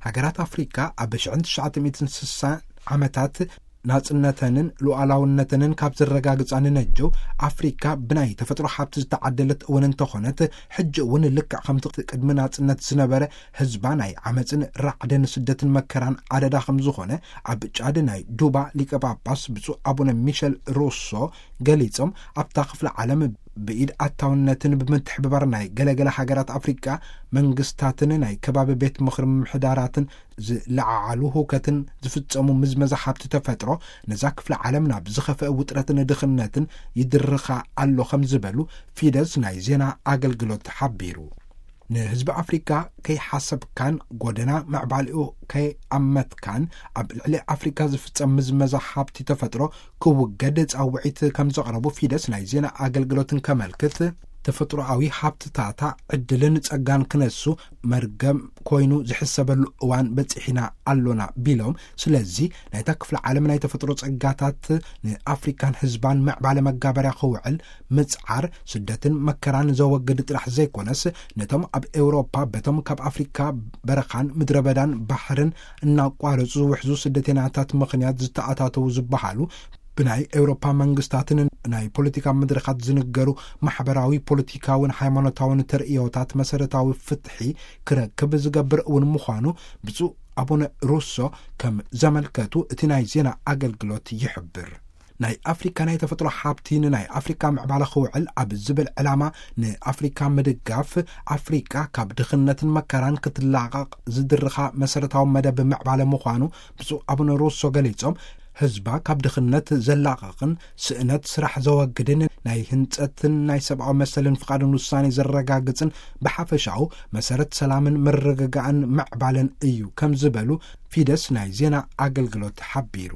ሃገራት ኣፍሪካ ኣብ ሽሕን ትሽዓተ ሚእትን ስሳን ዓመታት ናጽነተንን ሉዓላውነተንን ካብ ዘረጋግጻ ንነጀው፣ ኣፍሪካ ብናይ ተፈጥሮ ሃብቲ ዝተዓደለት እውን እንተኾነት፣ ሕጂ እውን ልክዕ ከምቲ ቅድሚ ናጽነት ዝነበረ ህዝባ ናይ ዓመፅን ራዕድን ስደትን መከራን ኣደዳ ከም ዝኾነ ኣብ ጫድ ናይ ዱባ ሊቀ ጳጳስ ብፁዕ ኣቡነ ሚሸል ሩሶ ገሊጾም፣ ኣብታ ክፍለ ዓለም ብኢድ ኣታውነትን ብምትሕብባር ናይ ገለገለ ሃገራት ኣፍሪቃ መንግስታትን ናይ ከባቢ ቤት ምኽሪ ምምሕዳራትን ዝለዓዓሉ ህውከትን ዝፍጸሙ ምዝመዛ ሃብቲ ተፈጥሮ ነዛ ክፍለ ዓለም ናብ ዝኸፍአ ውጥረትን ድኽነትን ይድርኻ ኣሎ ከም ዝበሉ ፊደስ ናይ ዜና ኣገልግሎት ሓቢሩ። ንህዝቢ ኣፍሪካ ከይሓሰብካን ጎደና ምዕባሊኡ ከይኣመትካን ኣብ ልዕሊ ኣፍሪካ ዝፍጸም ምዝመዛ ሃብቲ ተፈጥሮ ክውገድ ጻውዒት ከም ዘቕረቡ ፊደስ ናይ ዜና ኣገልግሎትን ከመልክት፣ ተፈጥሮኣዊ ሃብትታታ ዕድልን ጸጋን ክነሱ መርገም ኮይኑ ዝሕሰበሉ እዋን በጺሕና ኣሎና ቢሎም፣ ስለዚ ናይታ ክፍለ ዓለም ናይ ተፈጥሮ ጸጋታት ንኣፍሪካን ህዝባን ምዕባለ መጋበርያ ክውዕል ምጽዓር ስደትን መከራን ዘወግድ ጥራሕ ዘይኮነስ፣ ነቶም ኣብ ኤውሮፓ በቶም ካብ ኣፍሪካ በረኻን ምድረ በዳን ባሕርን እናቋረጹ ዝውሕዙ ስደተኛታት ምኽንያት ዝተኣታተዉ ዝበሃሉ ብናይ ኤውሮፓ መንግስታትን ናይ ፖለቲካ መድረኻት ዝንገሩ ማሕበራዊ፣ ፖለቲካውን ሃይማኖታውን ተርእዮታት መሰረታዊ ፍትሒ ክረክብ ዝገብር እውን ምዃኑ ብፁዕ ኣቡነ ሩሶ ከም ዘመልከቱ እቲ ናይ ዜና ኣገልግሎት ይሕብር። ናይ ኣፍሪካ ናይ ተፈጥሮ ሃብቲ ንናይ ኣፍሪካ ምዕባለ ክውዕል ኣብ ዝብል ዕላማ ንኣፍሪካ ምድጋፍ ኣፍሪካ ካብ ድኽነትን መከራን ክትላቐቕ ዝድርኻ መሰረታዊ መደብ ምዕባለ ምዃኑ ብፁዕ ኣቡነ ሩሶ ገሊጾም፣ ህዝባ ካብ ድኽነት ዘላቕቕን ስእነት ስራሕ ዘወግድን ናይ ህንጸትን ናይ ሰብኣዊ መሰልን ፍቓድን ውሳኔ ዘረጋግጽን ብሓፈሻኡ መሰረት ሰላምን ምርግጋእን ምዕባለን እዩ ከም ዝበሉ ፊደስ ናይ ዜና ኣገልግሎት ሓቢሩ።